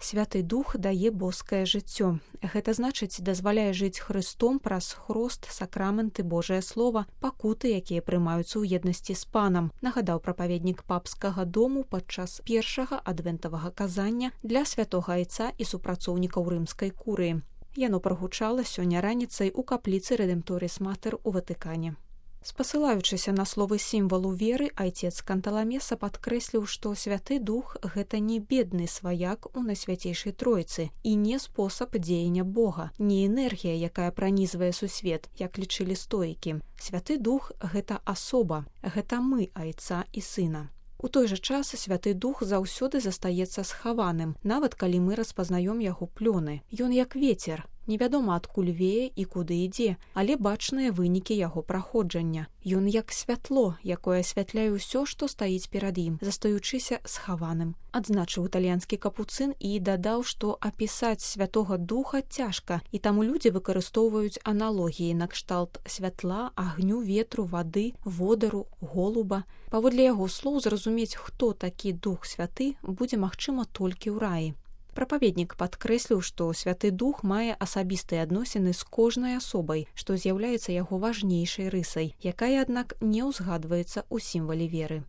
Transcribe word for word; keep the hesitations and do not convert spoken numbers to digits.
Святы Дух дае боскае жыццё. Гэта значыць, дазваляе жыць Хрыстом праз хрост, сакрамэнты, Божае Слова, пакуты, якія прымаюцца ў еднасці з Панам, нагадаў прапаведнік папскага дому падчас першага адвентавага казання для святога айца і супрацоўнікаў рымскай курыі. Яно прагучала сёння раніцай у капліцы Рэдэмпторіс Матэр у Ватыкане. Спасылаючыся на словы сімвалу веры, айцец Канталамеса падкрэсліў, што Святы Дух – гэта не бедны сваяк у Найсвяцейшай Тройцы і не спосаб дзеяння Бога, не энергія, якая пранізвае сусвет, як лічылі стоікі. Святы Дух – гэта асоба, гэта мы, айца і сына. У той жа час Святы Дух заўсёды застаецца схаваным, нават калі мы распазнаём яго плёны. Ён як вецер, невядома адкуль вее і куды ідзе, але бачныя вынікі яго праходжання. Ён як святло, якое асвятляе ўсё, што стаіць перад ім, застаючыся схаваным. Адзначыў італьянскі капуцын і дадаў, што апісаць Святога Духа цяжка, і таму людзі выкарыстоўваюць аналогіі накшталт святла, агню, ветру, вады, водару, голуба. Паводле яго слоў, зразумець, хто такі Дух Святы, будзе магчыма толькі ў раі. Прапаведнік падкрэсліў, што Святы Дух мае асабістыя адносіны з кожнай асобай, што з'яўляецца яго важнейшай рысай, якая, аднак, не ўзгадваецца ў сімвале веры.